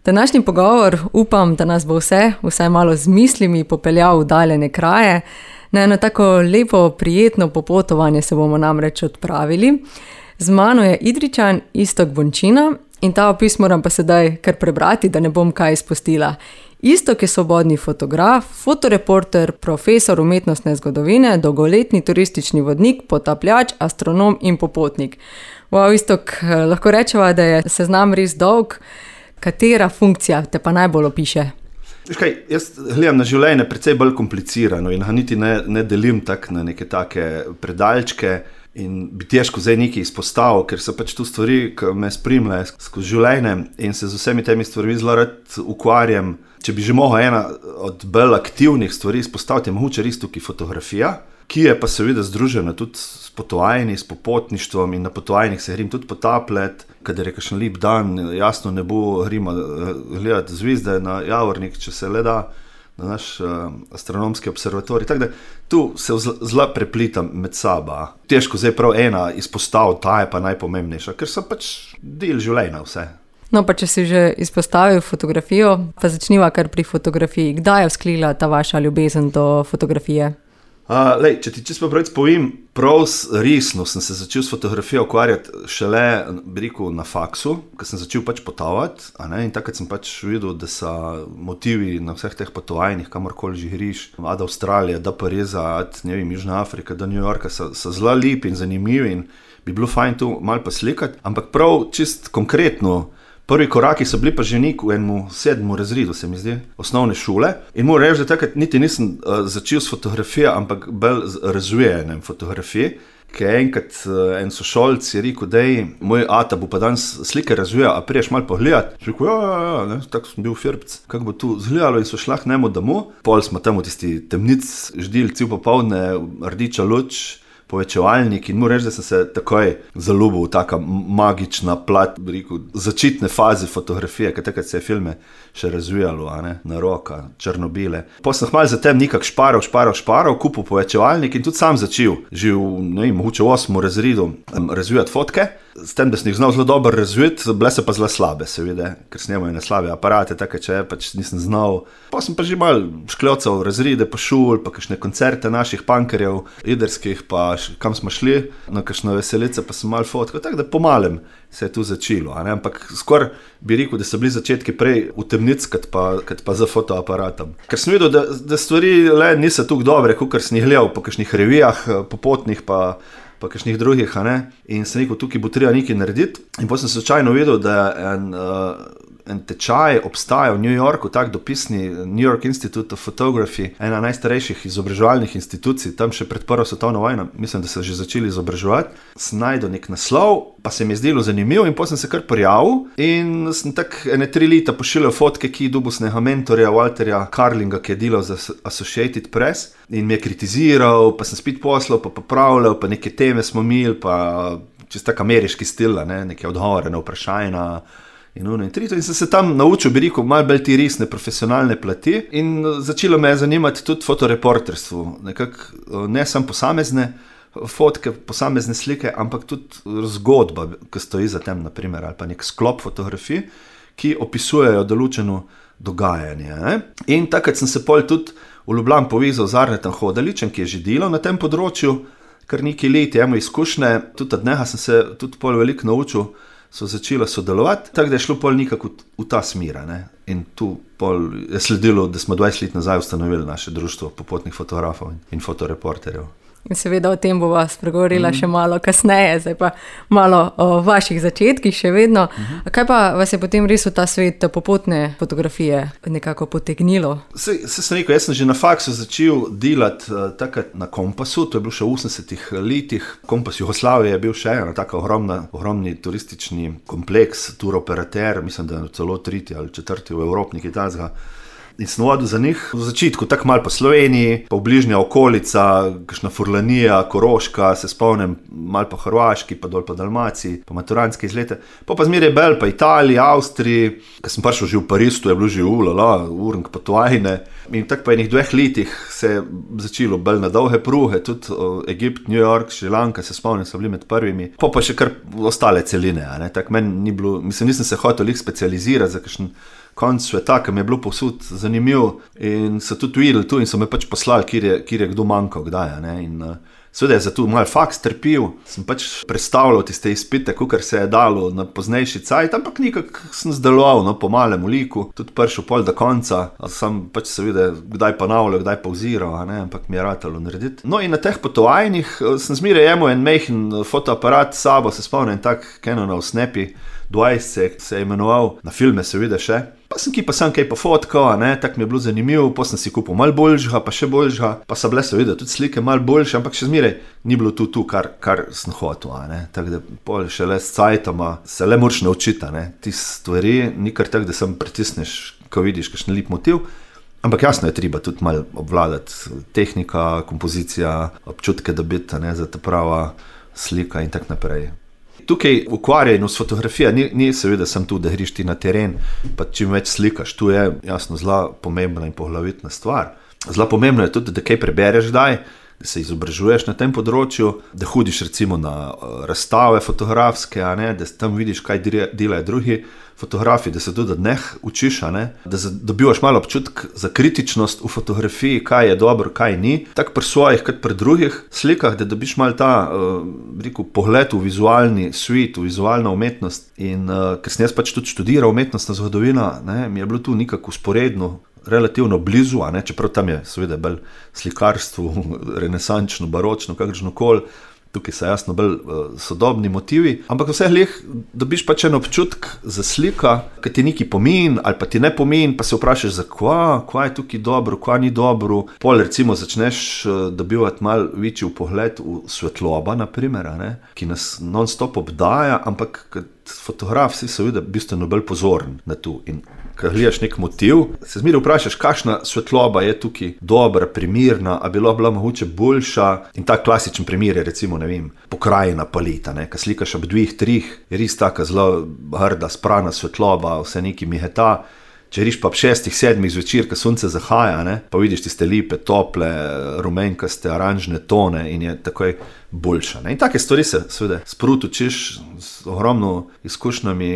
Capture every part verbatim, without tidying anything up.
Današnji pogovor upam, da nas bo vse, vsaj malo z mislimi popeljal v daljene kraje. Na eno tako lepo, prijetno popotovanje se bomo namreč odpravili. Z mano je Idrijčan Iztok Bončina in ta opis moram pa sedaj kar prebrati, da ne bom kaj izpustila. Iztok je svobodni fotograf, fotoreporter, profesor umetnostne zgodovine, dolgoletni turistični vodnik, potapljač, astronom in popotnik. Wow, Iztok, lahko rečeva, da je seznam res dolg. Katera funkcija te pa najbolj opiše? Veš kaj, jaz gledam na življenje precej bolj komplicirano in ga niti ne, ne delim tak na neke take predalčke in bi težko zdaj nekaj izpostavil, ker so pač tu stvari, ki me spremljajo skozi življenje in se z vsemi temi stvarmi zelo rad ukvarjam. Če bi že mogla ena od bolj aktivnih stvari izpostaviti, je mogoče res tukaj fotografija, ki je pa seveda združena tudi s potovanji, s popotništvom in na potovanjih se grem tudi potapljati, kadar je kakšen lep dan, jasno ne bo gremo gledati zvizde na Javornik, če se le da, na naš uh, astronomski observatorij. Tako da tu se zelo preplitam med saba. Težko zdaj prav ena izpostaviti, ta je pa najpomembnejša, ker so pač del življenja vse. No, pa če si že izpostavil fotografijo, pa začniva kar pri fotografiji. Kdaj je vzklila ta vaša ljubezen do fotografije? Uh, lej, če ti čisto pravic povem, prav resno sem se začel s fotografijo ukvarjati šele, bi rekel, na faksu, ko sem začel pač potovati, a ne, in takrat sem pač videl, da so motivi na vseh teh potovanjih, kamorkoli že greš, od Avstralije do Pariza, od, ne vem, Južna Afrika do New Yorka, so, so zelo lepi in zanimivi in bi bilo fajn tu malo poslikati, ampak prav čist konkretno, prvi koraki so bili pa že nek v enem sedmem razredu, se mi zdi, osnovne šole. In moram reči, da takrat niti nisem uh, začel s fotografijo, ampak bolj z razvijanjem fotografije, ker enkrat uh, en sošolc je rekel, da je moj ata bo pa danes slike razvijal, a priješ malo pogledati. Rekel, ja, ja, ja, ne, tako sem bil firbec, kako bo tu zgledalo in so šla k njemu domov. Pol smo tam v tisti temnic ždili cel popoldne, rdeča luč, povečevalnik in moram reči, da sem se takoj zaljubil v taka magična plat, bi rekel, začetne faze fotografije, ker takrat se je filme še razvijalo, a ne, na roka, črno-bele. Potem sem malo zatem nekak šparal, šparal, šparal, kupil povečevalnik in tudi sam začel, že v, ne vem, mogoče v osmem razredu razvijati fotke, s tem, da sem jih znal zelo dobro razvijati, bile so pa zelo slabe, seveda, ker snemajo na slabe aparate, tako če pač nisem znal. Pa sem pa že malo škljocal razrede po šol, pa kakšne koncerte naših punkerjev, jedrskih, pa kam smo šli, na kakšno veselice, pa sem malo fotkal, tako da pomalem se je tu začelo, a ne? Ampak skoraj bi rekel, da so bili začetki prej v temnic, kot pa, kot pa za fotoaparatom. Ker sem videl, da, da stvari le niso tako dobre, kot sem jih gledal po kakšnih revijah, popotnih, pa pa kakšnih drugih, a ne, in sem rekel, tukaj bo treba nekaj narediti, in potem sem slučajno videl, da en, uh, en tečaj obstaja v New Yorku, tak dopisni New York Institute of Photography, ena najstarejših izobraževalnih institucij, tam še pred prvo svetovno vojno, mislim, da so že začeli izobraževati, sem najdel nek naslov, pa se mi je zdelo zanimivo in potem sem se kar prijavil in sem tak ene tri leta pošiljal fotke, ki dubusnega mentorja Walterja Carlinga, ki je delal za Associated Press in mi je kritiziral, pa sem spet poslal, pa popravljal, pa neke teme smo imeli, pa čist tak ameriški stil, ne, neke odgovore na vprašanja in uno in trito. In sem se tam naučil, bi rekel, malo bolj ti resne profesionalne plati in začelo me je zanimati tudi fotoreporterstvo, nekako ne samo posamezne fotke, posamezne slike, ampak tudi zgodba, ki stoji za tem, naprimer, ali pa nek sklop fotografij, ki opisujejo določeno dogajanje. Ne? In takrat sem se pol tudi v Ljubljani povezal z Arnetom Hodaličem, ki je že delal na tem področju, kar nekaj let je imel izkušnje, tudi od njega sem se tudi pol veliko naučil, so začela sodelovati, tako da je šlo pol nekako v, v ta smer. Ne? In tu pol je sledilo, da smo dvajset let nazaj ustanovili naše društvo popotnih fotografov in fotoreporterjev. In seveda o tem bova spregovorila mm. še malo kasneje, zdaj pa malo o vaših začetkih še vedno. Mm-hmm. Kaj pa vas je potem res v ta svet popotne fotografije nekako potegnilo? Se, se sem rekel, jaz sem že na faksu začel delati uh, takrat na Kompasu, to je bil še v osemdesetih letih. Kompas Jugoslavije je bil še ena taka ogromna, ogromni turistični kompleks, turoperater, mislim, da je celo tretji ali četrti v Evropi, nekaj takega. In sem vodil za njih v začetku tako malo po Sloveniji, pa v bližnja okolica, kakšna Furlanija, Koroška, se spomnim malo po Hrvaški, pa dol po Dalmaciji, pa maturantske izlete. Pa pa zmeraj bel, pa Italiji, Avstriji, ko sem prišel že v Pariz, to je bilo že ulala, urnik potovajne. In tako pa enih dveh letih se je začelo bolj na dolge pruhe, tudi Egipt, New York, Šrilanka, se spomnim, so bili med prvimi. Pa pa še kar ostale celine, a ne, tako meni ni bilo, mislim, nisem se hotel jih specializirati za kakšen konc sveta, ki mi je bilo povsod zanimiv in so tudi videli tu in so me pač poslali, kjer je, kjer je kdo manjkal, kdaj, ne, in uh, seveda je za to malo faks trpil, sem pač predstavljal tiste izpite, kakor se je dalo na poznejši cajt, ampak nekako sem zdeloval, no, po malem liku, tudi prišel pol do konca, sem pač seveda kdaj ponavljal, kdaj pauziral, ne, ampak mi je ratalo narediti. No in na teh potovanjih sem zmeraj imel en majhen fotoaparat s sabo, se spomnim, tak Canonov Snappy dvajset se je imenoval, na filme seveda še. Pa sem ki pa sem kaj pofotkal, ne, tak mi je bilo zanimivo, pa sem si kupil malo boljšega, pa še boljšega, pa so bile seveda tudi slike malo boljše, ampak še zmeraj ni bilo tu, tu kar, kar sem hotel, ne, tako da pol šele s cajtoma se le moraš naučiti, ne, ti stvari, ni kar tak, da sem pritisneš, ko vidiš kakšen lep motiv, ampak jasno je treba tudi malo obvladati tehnika, kompozicija, občutke dobiti, ne, za ta prava slika in tak naprej. Tukaj ukvarjeno s fotografijo ni, ni seveda sem tu, da griš ti na teren, pa čim več slikaš, tu je jasno zelo pomembna in poglavitna stvar. Zelo pomembno je tudi, da kaj prebereš daj, da se izobražuješ na tem področju, da hodiš recimo na razstave fotografske, a ne, da tam vidiš, kaj delajo drugi fotografi, da se tudi od njih učiš, a ne, da dobivaš malo občutek za kritičnost v fotografiji, kaj je dobro, kaj ni, tako pri svojih, kot pri drugih slikah, da dobiš malo ta, uh, rekel, pogled v vizualni svet, v vizualno umetnost in uh, ker sem jaz pač tudi študiral umetnostna zgodovina, ne, mi je bilo tu nekako usporedno, relativno blizu, a ne, čeprav tam je seveda bolj slikarstvo, renesančno, baročno, kakršnokoli, tukaj so jasno bolj uh, sodobni motivi, ampak vseh leh dobiš pač en občutek za slika, ki ti nekaj pomeni ali pa ti ne pomeni, pa se vprašaš za kva, kva je tukaj dobro, kva ni dobro. Pol recimo začneš uh, dobivati malo večji pogled v svetloba, na primer, a ne, ki nas non-stop obdaja, ampak kot fotograf si seveda bistveno bolj pozoren na to in ko gledaš nek motiv, se zmeraj vprašaš, kakšna svetloba je tukaj dobra, primirna, a bilo bila mogoče boljša in tak klasičen primer je recimo, ne vem, pokrajina paleta, ne, ko slikaš ob dveh, trih, je res taka zelo hrda, sprana svetloba, vse neki miheta. Če riš pa ob šestih, sedmih zvečer, ko sonce zahaja, ne, pa vidiš tiste lepe, tople, rumenkaste, oranžne tone in je takoj boljša. Ne. In take stvari se seveda sprot učiš, z ogromno izkušnjami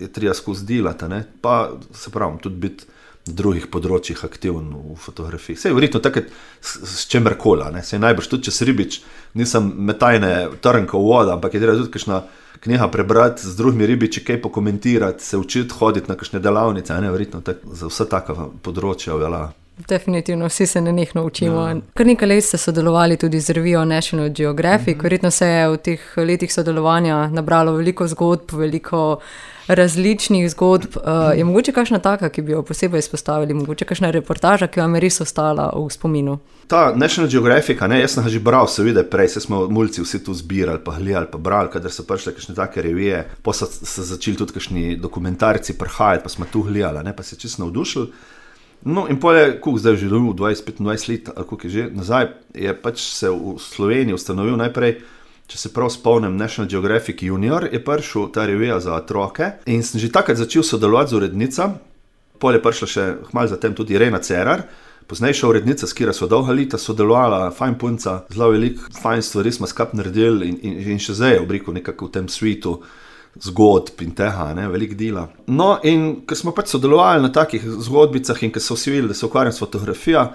je treba skozi delati, ne, pa se pravim, tudi biti na drugih področjih aktiven v fotografiji. Sej verjetno takrat s, s čemerkola, ne, sej najbrž tudi čez ribič, nisem metajne trnka v voda, ampak je treba tudi kakšna knjiga prebrati, z drugimi ribiči kaj pokomentirati, se učiti hoditi na kakšne delavnice, ne, verjetno tak, za vsa taka področja velja. Definitivno, vsi se nenehno učimo. Ja. Kar nekaj let ste sodelovali tudi z revijo National Geographic, mm-hmm. Verjetno se je v teh letih sodelovanja nabralo veliko zgodb, veliko različnih zgodb. Uh, je mogoče kakšna taka, ki bi jo posebej izpostavili, mogoče kakšna reportaža, ki vam je res ostala v spominu? Ta National Geographic, ne, jaz sem ga že bral, seveda prej, se smo mulci vsi tu zbirali, pa gledali, pa brali, kadar so prišle kakšne take revije, pa so se začeli tudi kakšni dokumentarci prihajati, pa smo tu gledali, ne, pa se čisto navdušili. No in pol je, koliko zdaj že v dvajset petindvajset let, ali koliko je že nazaj, je pač se v Sloveniji ustanovil najprej, če se prav spomnim, National Geographic Junior, je prišel ta revija za otroke in sem že takrat začel sodelovati z urednica, pol je prišla še hmal zatem tudi Irena Cerar, poznejša urednica, s katero sva dolga leta sodelovala, fajn punca, zelo veliko fajn stvari smo skupaj naredili in, in, in še zdaj je obriko nekako v tem svetu zgodb in tega, ne, veliko dela. No in ko smo pač sodelovali na takih zgodbicah in ko so vsi videli, da se ukvarjam s fotografijo,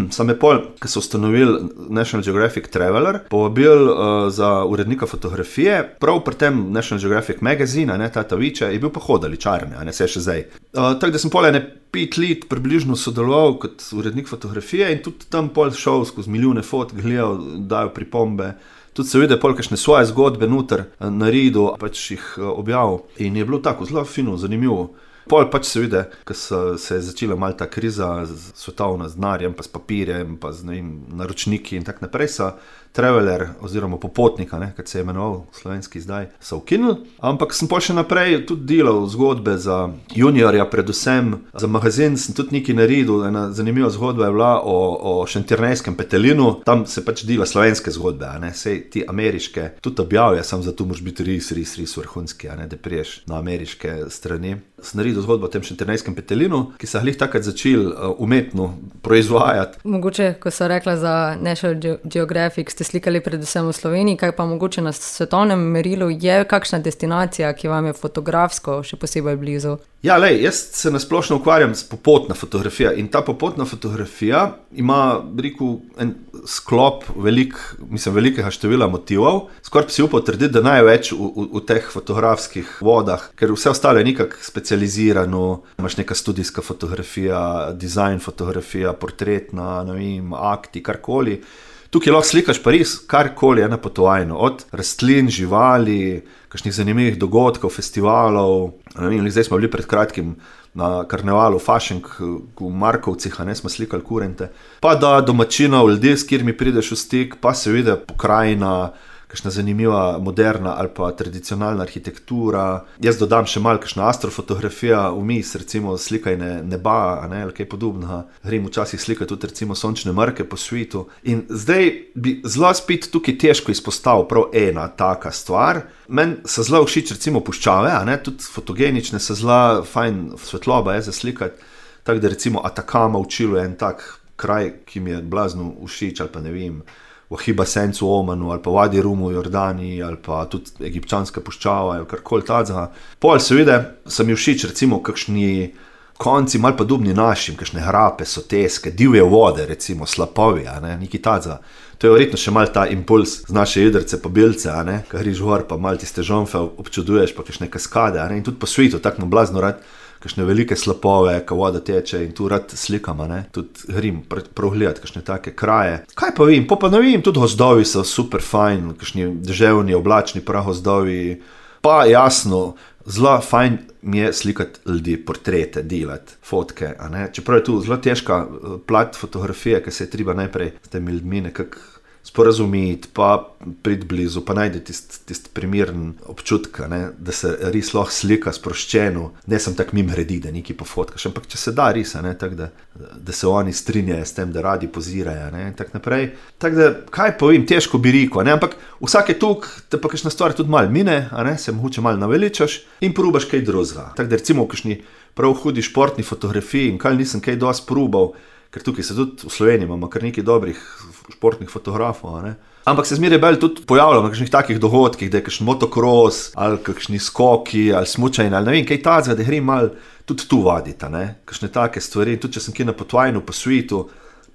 sem je pol, ko so ustanovili National Geographic Traveler, povabil uh, za urednika fotografije, prav pri tem National Geographic Magazine, ne, Tata Viče, je bil pa hodaličarne, a ne, se še zdaj. Uh, tako da sem pol ene pet let približno sodeloval kot urednik fotografije in tudi tam pol šel skozi milijone fotk, gledal, dajo pripombe, tudi seveda pol kakšne svoje zgodbe noter naredil, pač jih objavil in je bilo tako zelo fino, zanimivo. Pol pač seveda, ko se je začela malo ta kriza svetovna z denarjem, pa s papirjem, pa z ne vem, naročniki in tak naprej, so Traveler oziroma Popotnika, ne, kot se je imenoval slovenski zdaj, so ukinili. Ampak sem pol še naprej tudi delal zgodbe za juniorja, predvsem za magazin sem tudi nekaj naredil. Ena zanimiva zgodba je bila o, o šentjernejskem petelinu, tam se pač dela slovenske zgodbe, a ne, sej ti ameriške, tudi objavijo, sam zato moraš biti res, res, res vrhunski, a ne, da priješ na ameriške strani. Sem naredil zgodbo o tem šentjernejskem petelinu, ki se je glih takrat začel uh, umetno proizvajati. Mogoče, ko so rekla za National Geographic, ste slikali predvsem v Sloveniji, kaj pa mogoče na svetovnem merilu je kakšna destinacija, ki vam je fotografsko še posebej blizu? Ja, lej, jaz se nasplošno ukvarjam s popotna fotografija in ta popotna fotografija ima, rekel, en sklop velik, mislim, velikega števila motivov. Skoraj bi si upal trditi, da največ v, v, v teh fotografskih vodah, ker vse ostalo je nekako specializirano, imaš neka studijska fotografija, dizajn fotografija, portretna, ne vem, akti, karkoli. Tukaj lahko slikaš pa res karkoli je napotovajno, od rastlin, živali, kakšnih zanimivih dogodkov, festivalov. Ne vem, zdaj smo bili pred kratkim na karnevalu Fašenk v Markovcih, a ne, smo slikali kurente. Pa da domačinov, ljudi, s katerimi prideš v stik, pa seveda pokrajina, kakšna zanimiva moderna ali pa tradicionalna arhitektura. Jaz dodam še malo kakšna astrofotografija vmes, recimo slikanje neba, a ne, ali kaj podobnega. Grem včasih slikati tudi recimo sončne mrke po svetu. In zdaj bi zelo spet tukaj težko izpostavil prav ena taka stvar. Meni se zelo všeč recimo puščave, a ne, tudi fotogenične se zelo fajn svetloba je za slikati. Tako da recimo Atakama v Čilu je en tak kraj, ki mi je blazno všeč, ali pa ne vem, v Hiba Sencu v Omanu, ali pa Wadi Rumu v Jordaniji, ali pa tudi egipčanska puščava, ali karkoli tazga. Pol seveda se mi všeč recimo kakšni konci, malo podobni našim, kakšne hrape, soteske, divje vode, recimo slapovi, a ne, neki tazga. To je verjetno še malo ta impuls z naše jedrce pa belce, a ne, ka griš gor, pa malo tiste žonfe občuduješ, pa kakšne kaskade, a ne, in tudi po svetu, tako nam blazno rad, kakšne velike slapove, ka voda teče in tu rad slikam, a ne, tudi grem progledati kakšne take kraje. Kaj pa vem, pa pa ne vem, tudi gozdovi so super fajn, kakšni deževni, oblačni pragozdovi, pa jasno, zelo fajn mi je slikati ljudi, portrete, delati, fotke, a ne, čeprav je tu zelo težka plat fotografije, ki se je treba najprej s temi ljudmi nekako sporazumeti, pa priti blizu, pa najde tist, tist primeren občutek, ne, da se res lahko slika sproščeno, ne sem tak mim redi, da nekaj pofotkaš, ampak če se da res, ne, tak da, da se oni strinjajo s tem, da radi pozirajo, ne, in tak naprej. Tak da, kaj povem, težko bi rekel, ne, ampak vsake tuk, te pa kakšna stvar tudi malo mine, a ne, se mogoče malo naveličaš in probaš kaj drugega. Tak da recimo v kakšni prav hudi športni fotografiji in kaj nisem kaj dosti probal, ker tukaj se tudi v Sloveniji imamo kar nekaj dobrih športnih fotografov, ne. Ampak se zmeraj bolj tudi pojavljam na kakšnih takih dogodkih, da je kakšen motocross, ali kakšni skoki, ali smučanje, ali ne vem, kaj tazga, da grem malo tudi tu vaditi, ne. Kakšne take stvari, tudi če sem kje na potovanju po svetu,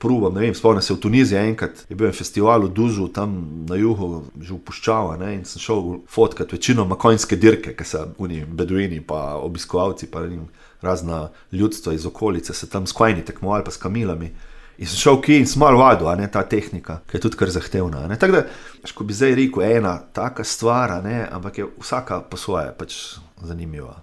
probam, ne vem, spomnim se v Tuniziji enkrat, je bil en festival v Dužu, tam na jugu, že v puščava, ne, in sem šel fotkat večinoma konjske dirke, ki so oni beduini pa obiskovalci, pa ne vem, razna ljudstva iz okolice se tam s konji tekmovali pa s kamilami. In sem šel kje in sem malo vadil, a ne, ta tehnika, ki je tudi kar zahtevna, a ne. Tako da, ko bi zdaj rekel, ena taka stvar, a ne, ampak je vsaka po svoje pač zanimiva.